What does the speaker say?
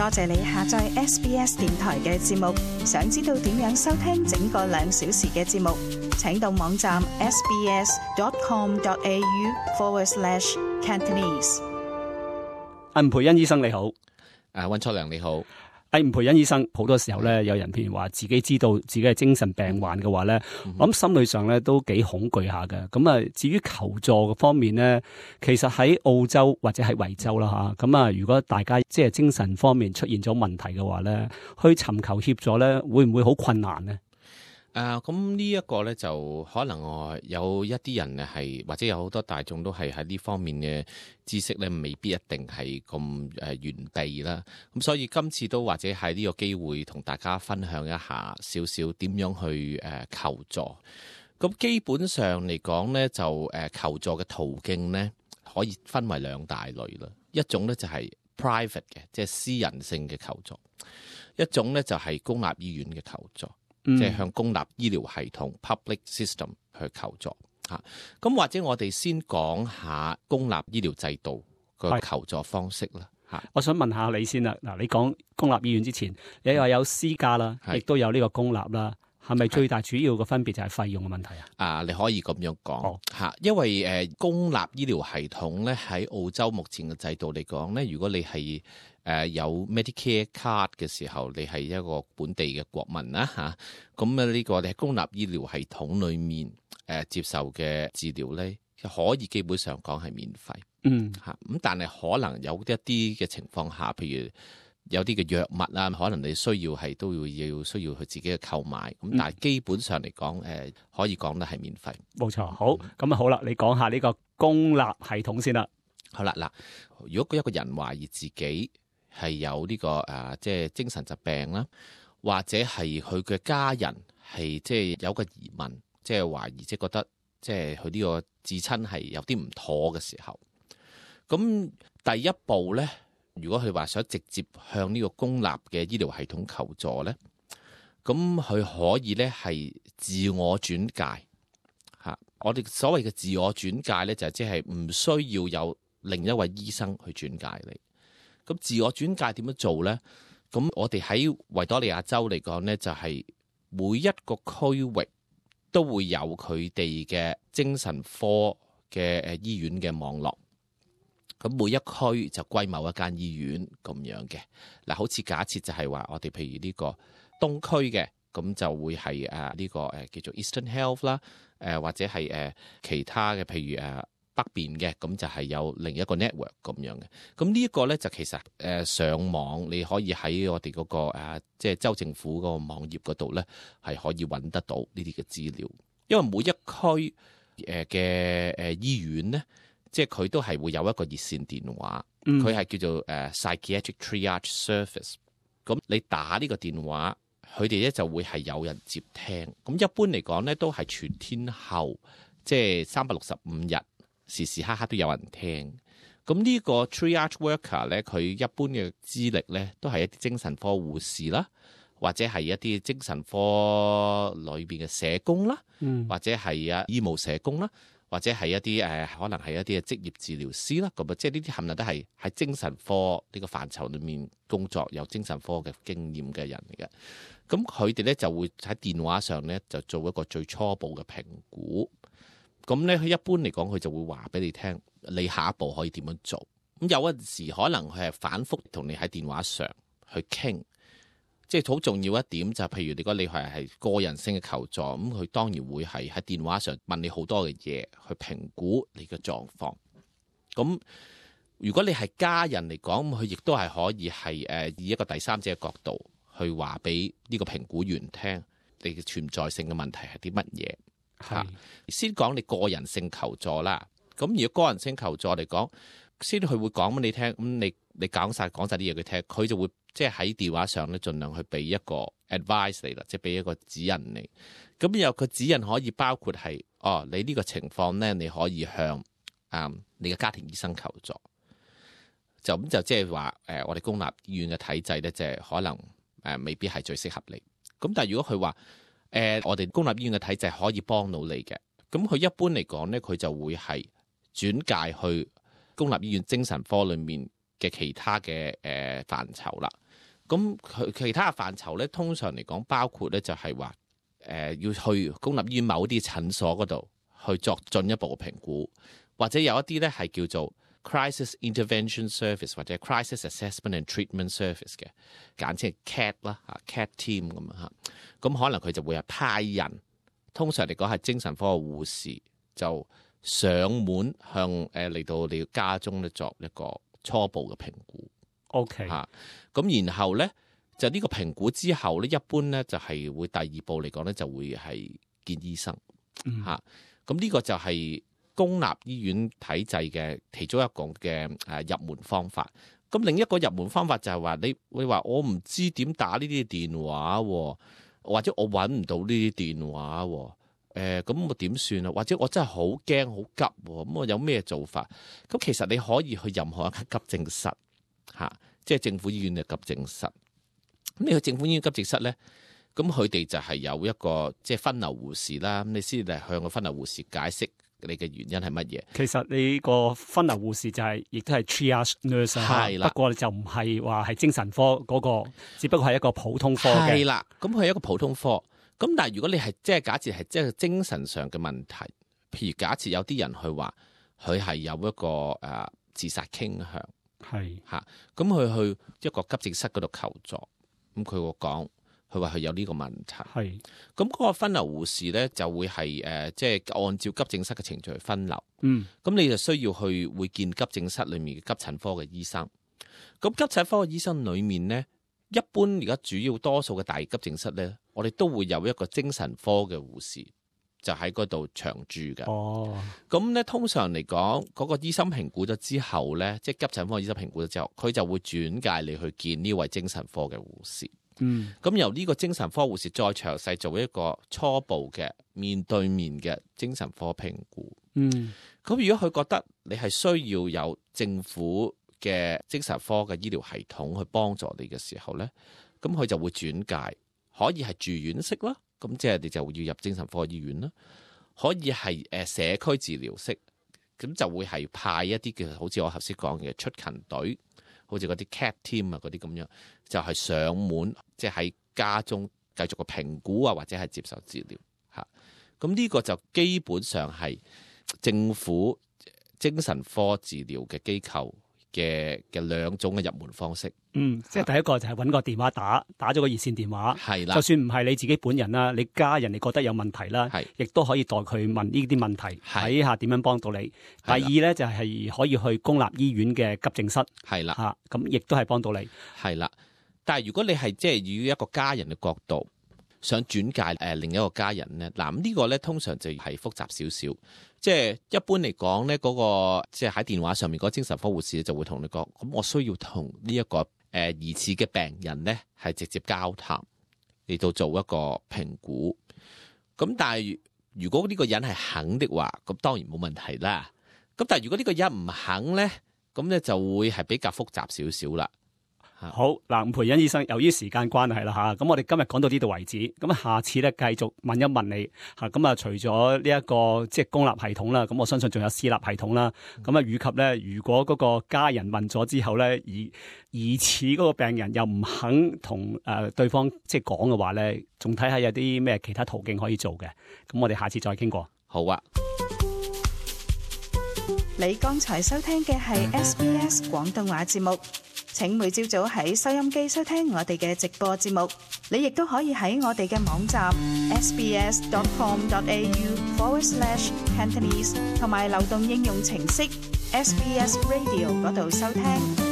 多謝你下載 SBS 電台嘅節目。想知道點樣收聽整個2小時嘅節目，請到網站 sbs.com.au/Cantonese。吳培恩醫生你好。溫卓良你好。吳培恩醫生，好多時候咧，有人譬如話自己知道自己係精神病患嘅話咧，我諗心理上咧都幾恐懼下嘅。咁啊，至於求助嘅方面咧，其實喺澳洲或者喺維州啦吓，咁啊，如果大家即係精神方面出現咗問題嘅話咧，去尋求協助咧，會唔會好困難呢？咁呢一個咧就可能有一啲人係，或者有好多大眾都係喺呢方面嘅知識咧，未必一定係咁完備啦。咁所以今次都或者係呢個機會同大家分享一下少少點樣去求助。咁基本上嚟講咧，就求助嘅途徑咧可以分為2大類啦。一種咧就係 private 嘅，即係私人性嘅求助；一種咧就係公立醫院嘅求助。即係向公立醫療系統 public system 去求助嚇。咁或者我哋先講下公立醫療制度個求助方式啦嚇。我想問下你先啦。嗱，你講公立醫院之前，你話有私家啦，亦都有呢個公立啦，係咪最大主要嘅分別就係費用嘅問題啊？你可以咁樣講嚇，因為公立醫療系統咧喺澳洲目前嘅制度嚟講咧，如果你係有 Medicare card 嘅時候，你係一個本地嘅國民啦嚇，咁呢個你喺公立醫療系統裏面接受嘅治療咧，可以基本上講係免費嚇。咁但係可能有一啲嘅情況下，譬如有啲嘅藥物啊，可能你需要去自己去購買。咁但係基本上嚟講，可以講得係免費。冇錯。好，咁啊好啦，你講下呢個公立系統先啦。好啦，嗱，如果一個人懷疑自己係有呢個即係精神疾病啦，或者係佢嘅家人係即係有個疑問，即係懷疑，即係覺得即係佢呢個至親係有啲唔妥嘅時候，咁第一步咧，如果佢話想直接向呢個公立嘅醫療系統求助咧，咁佢可以咧係自我轉介嚇。我哋所謂嘅自我轉介咧，就係即係唔需要有另一位醫生去轉介你。咁自我轉介點樣做咧？咁我哋喺維多利亞州嚟講咧，就係每一個區域都會有佢哋嘅精神科嘅醫院嘅網絡。咁每一區就歸某一間醫院咁樣嘅。嗱，好似假設就係話，我哋譬如呢個東區嘅，咁就會係呢個叫做 Eastern Health 啦，或者係其他嘅，譬如北邊嘅，咁就係有另一個 network 咁樣嘅。咁呢一個咧就其實上網你可以喺我哋嗰個即係州政府嗰個網頁嗰度咧，係可以揾得到呢啲嘅資料。因為每一區嘅醫院咧，即係佢都係會有一個熱線電話，佢係叫做Psychiatric Triage Service。咁你打呢個電話，佢哋咧就會係有人接聽。咁一般嚟講咧，都係全天候，即係365日。時時刻刻都有人聽，咁呢個 triage worker 咧，佢一般嘅資歷咧，都係一啲精神科護士啦，或者係一啲精神科裏邊嘅社工啦，或者係醫務社工啦，或者係一啲可能係一啲嘅職業治療師啦，咁即係呢啲冚唪唥都係喺精神科呢個範疇裏面工作有精神科嘅經驗嘅人嚟嘅。咁佢哋咧就會喺電話上咧就做一個最初步嘅評估。咁咧，佢一般嚟講，佢就會話俾你聽，你下一步可以點樣做。咁有陣時可能佢係反覆同你喺電話上去傾，即係好重要一點就係，譬如如果你係個人性嘅求助，咁佢當然會係喺電話上問你好多嘅嘢，去評估你嘅狀況。咁如果你係家人嚟講，咁佢亦都係可以係以一個第三者嘅角度去話俾呢個評估員聽，你嘅存在性嘅問題係啲乜嘢。先講你個人性求助啦。咁如果個人性求助嚟講，先佢會講俾你聽。咁你講晒啲嘢佢聽，佢就會即係喺電話上咧，盡量去俾一個 advice 你啦，即係俾一個指引你。咁有個指引可以包括係你呢個情況咧，你可以向你嘅家庭醫生求助。就即係話我哋公立醫院嘅體制咧，就係可能未必係最適合你。咁但係如果佢話我哋公立醫院嘅體制可以幫到你嘅，咁佢一般嚟講咧，佢就會係轉介去公立醫院精神科裏面嘅其他嘅範疇啦。咁佢其他嘅範疇咧，通常嚟講包括咧就係話要去公立醫院某啲診所嗰度去作進一步嘅評估，或者有一啲咧係叫做 Crisis Intervention Service 或者 Crisis Assessment and Treatment Service 嘅，簡稱係 CAT 啦，CAT Team 咁啊，咁可能佢就會係派人，通常嚟講係精神科嘅護士就上門向嚟到你家中咧作一個初步嘅評估。OK 咁然後咧就呢個評估之後咧，一般咧就係會第二步嚟講咧就會係見醫生咁呢個就係公立醫院體制嘅其中一個嘅入門方法。咁另一個入門方法就係話你話我唔知點打呢啲電話，或者我揾唔到呢啲電話，咁我點算啊？或者我真係好驚好急，咁我有咩做法？咁其實你可以去任何一間急症室即係政府醫院嘅急症室。咁你去政府醫院急症室咧，咁佢哋就係有一個即係分流護士啦。咁你先嚟向個分流護士解釋你嘅原因係乜嘢？其實你個分流護士就係亦都係 triage nurse 係啦，不過就唔係話係精神科嗰個，只不過係一個普通科嘅。係啦，咁佢係一個普通科。咁但係如果你係即係假設係即係精神上嘅問題，譬如假設有啲人去話佢係有一個自殺傾向。係咁佢去一個急症室嗰度求助，咁佢會講，佢話佢有呢個問題。係咁嗰個分流護士咧就會係即係按照急症室嘅程序去分流。咁你就需要去會見急症室裏面嘅急診科嘅醫生。咁急診科嘅醫生裏面咧，一般而家主要多數嘅大急症室咧，我哋都會有一個精神科嘅護士。就喺嗰度長住嘅。咁咧通常嚟講，嗰個醫生評估咗之後咧，即係急診科醫生評估咗之後，佢就會轉介你去見呢位精神科嘅護士。咁由呢個精神科護士再詳細做一個初步嘅面對面嘅精神科評估。咁如果佢覺得你係需要有政府嘅精神科嘅醫療系統去幫助你嘅時候咧，咁佢就會轉介，可以係住院式啦。咁即係你就要入精神科醫院啦，可以係社區治療式，咁就會係派一啲嘅，好似我頭先講嘅出勤隊，好似嗰啲 CAT team 嗰啲咁樣，就係上門，即係喺家中繼續個評估或者係接受治療。咁呢個就基本上係政府精神科治療嘅機構嘅兩種嘅入門方式。即係第一個就係揾個電話打咗個熱線電話，係啦。就算唔係你自己本人啦，你家人你覺得有問題啦，亦都可以代佢問呢啲問題，睇下點樣幫到你。第二咧就係可以去公立醫院嘅急症室，係啦，咁亦都係幫到你，係啦。但係如果你係即係以一個家人嘅角度想轉介另一個家人咧，嗱呢個咧通常就係複雜少少。即係一般嚟講咧，嗰個即係喺電話上面嗰個精神科護士就會同你講，咁我需要同呢一個疑似嘅病人咧係直接交談嚟到做一個評估。咁但係如果呢個人係肯的話，咁當然冇問題啦。咁但係如果呢個人唔肯咧，咁咧就會係比較複雜少少啦。好嗱，吳培恩醫生，由於時間關係啦嚇，咁我哋今日講到呢度為止，咁下次咧繼續問一問你嚇，咁啊除咗呢一個即係公立系統啦，咁我相信仲有私立系統啦，咁啊以及咧，如果嗰個家人問咗之後咧，疑似嗰個病人又唔肯同對方即係講嘅話咧，仲睇下有啲咩其他途徑可以做嘅，咁我哋下次再傾過。好啊。你剛才收聽嘅係 SBS 廣東話節目。請每朝早喺收音機收聽我哋嘅直播節目，你亦都可以喺我哋嘅網站 sbs.com.au/Cantonese 同埋流動應用程式 SBS Radio 嗰度收聽。